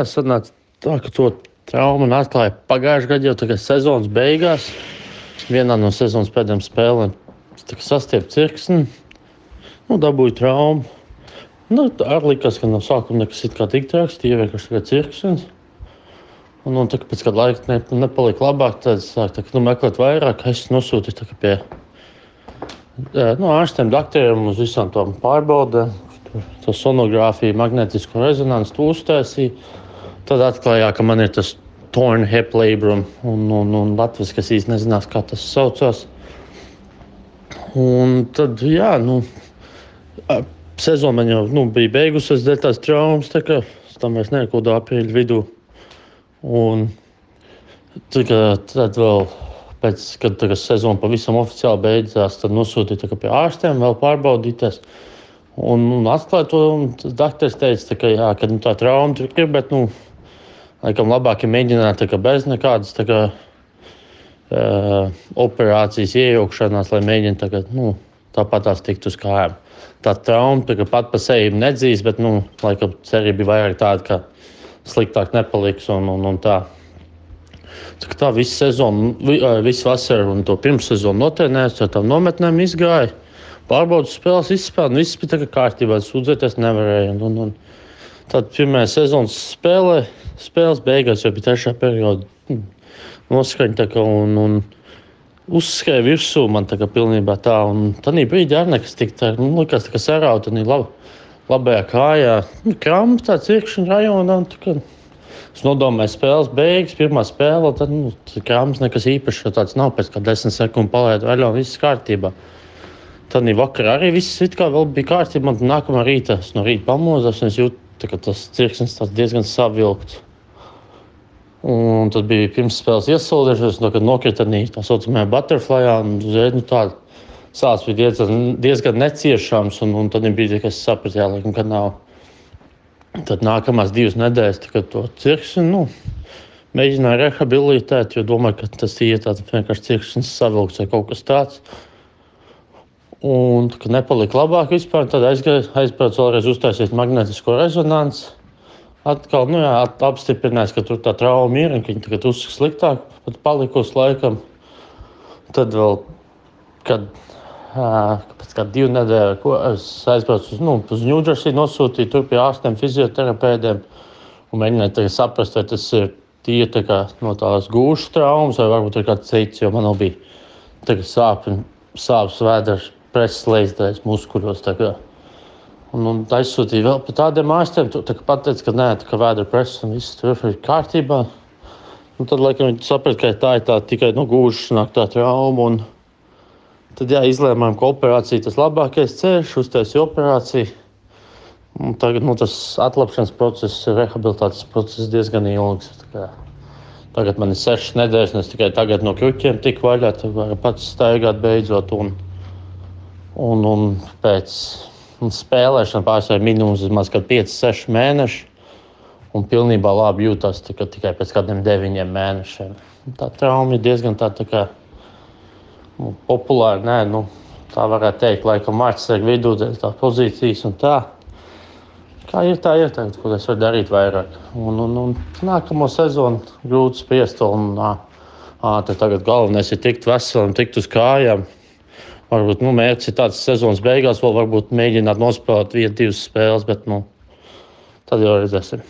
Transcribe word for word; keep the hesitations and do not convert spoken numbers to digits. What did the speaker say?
Sanāca tā, ka to traumu man atklāja pagājušajā gadā, jau tagad sezonas beigās. Vienā no sezonas pēdējām spēlēm sastiepu cirksni, nu, dabūju traumu. Nu, ar likās, ka no sākuma nekas it kā tik traks, tie vienkārši tikai cirksnis. Un, un tā, pēc kāda laika ne, nepalika labāk, tad sāk tā, nu, meklēt vairāk. Es nosūtīju tā, pie nu, ārstiem, doktoriem uz visām tām pārbaudēm. Tā sonogrāfija, magnētisko rezonanci, to uztaisīja. Tad atklājā, ka man ir tas torn hip labrum un, un, un latviski, kas īsti nezinās, kā tas saucās. Un tad, jā, nu, sezona man jau nu, bija beigusies dēļ tās traumas, tā kā tam vairs nekodā aprīļa vidū. Un tad, tad vēl pēc, kad tā, sezona pavisam oficiāli beidzās, tad nosūtīja tā, pie ārstiem vēl pārbaudīties. Un, un atklāja to, un doktors teica, tā, ka, jā, ka nu, tā trauma tur ir, bet, nu, laikam labāk ir mēģināt tā, bez nekādas tā, kā, uh, operācijas iejaukšanās, lai mēģina tā, kā, nu, tāpat tās tikt uz kājām. Tā trauma tā, pat pa sevi nedzīs, bet, nu, laikam cerība bija vairāk tāda, ka sliktāk nepaliks un, un, un tā. Tā, tā visu sezonu, visu vasaru un to pirmssezonu notrenējos, ar tām nometnēm izgāja. Pārbaudas spēles izspēlēja, un viss bija tā kā kārtībā, sūdzēties nevarēja. Un, un, un tad pirmajā sezonas spēlē, spēles beigās jau bija trešā perioda noskaņa tā kā un, un uzskrēja virsū man tā kā pilnībā tā. Un tanī brīdī arī nekas tik tā, nu, likās tā kā sarauta, tanī lab, labajā kājā. Nu, krampa tā cirkšņa rajonā. Tā kā, es nodomāju spēles beigas, pirmā spēle, tad, nu, kramps nekas īpašs, tāds nav pēc kā desmit sekundu palaid vaļā un viss kārtībā. Tad vakarā arī viss it kā vēl bija kārtībā. Man nākamā rītā, es no rīta pamozos, un es jūtu, ka tas cirksnis diezgan savilkts. Un tad bija pirms spēles iesaulējušies, un kad nokrita tā saucamajā butterflyā, un uzreiz nu, tāda sāls bija diezgan, diezgan neciešams, un, un tad bija tikai es sapratu, jā, laikam, ka nav. Tad nākamās divas nedēļas to cirksni, nu, mēģināju rehabilitēt, jo domāju, ka tas ir tāds vienkārši cirksnis savilkts vai kaut kas tāds. Un, kad nepalika labāk vispār, tad aizgāju, aizbraucu vēlreiz uztaisīt magnētisko rezonanci. Atkal, nu jā, apstiprinājās, ka tur tā trauma ir, un ka viņi tagad uzskata sliktāk, pat palikusi laikam. Tad vēl, kad pēc kāda divu nedēļu, ko es aizbraucu uz, nu, uz New Jersey, nosūtīju tur pie ārstiem, fizioterapeidiem, un mēģināju tagad saprast, vai tas ir tie tā kā no tās gūšas traumas, vai varbūt ir kāds cits, jo man jau bija tagad sāpi, sāpes vēders. Preses lejas muskuļos. Un, un aizsūtīja vēl pie tādiem ārstiem. Tā kā pateica, ka nē, tā kā vēdera preses un viss tur ir kārtībā. Un tad, laikam, viņi saprata, ka tā ir tā tikai nu, gūžas nāk tā trauma. Un tad, jā, izlēmām, ka operācija tas labākais ceļš, uztaisīja operāciju. Un tagad, nu, tas atlapšanas process, rehabilitācijas process diezgan ilgs. Tagad man ir sešas nedēļas, un es tikai tagad no kruķiem tiku vaļā, tad varu pats staigāt beidzot. Un, Un, un pēc spēlēšanas pārsvarā minimums vismaz pieci seši mēneši. Un pilnībā labi jūtas tika, tikai pēc kādiem deviņiem mēnešiem. Tā trauma ir diezgan tā, tā kā, nu, populāra. Nē, nu, tā varētu teikt, laikam Mārcis ir vidū, tā pozīcijas un tā. Kā ir, tā ir tagad, ko es varu darīt vairāk. Un, un, un nākamo sezonu grūti spriest. Un, ā, ā, tagad galvenais ir tikt veselam, tikt uz kājām. Varbūt nu, mērķis ir tāds sezonas beigās, vēl varbūt mēģināt nospēlēt vienu, divas spēles, bet nu, tad jau redzēsim.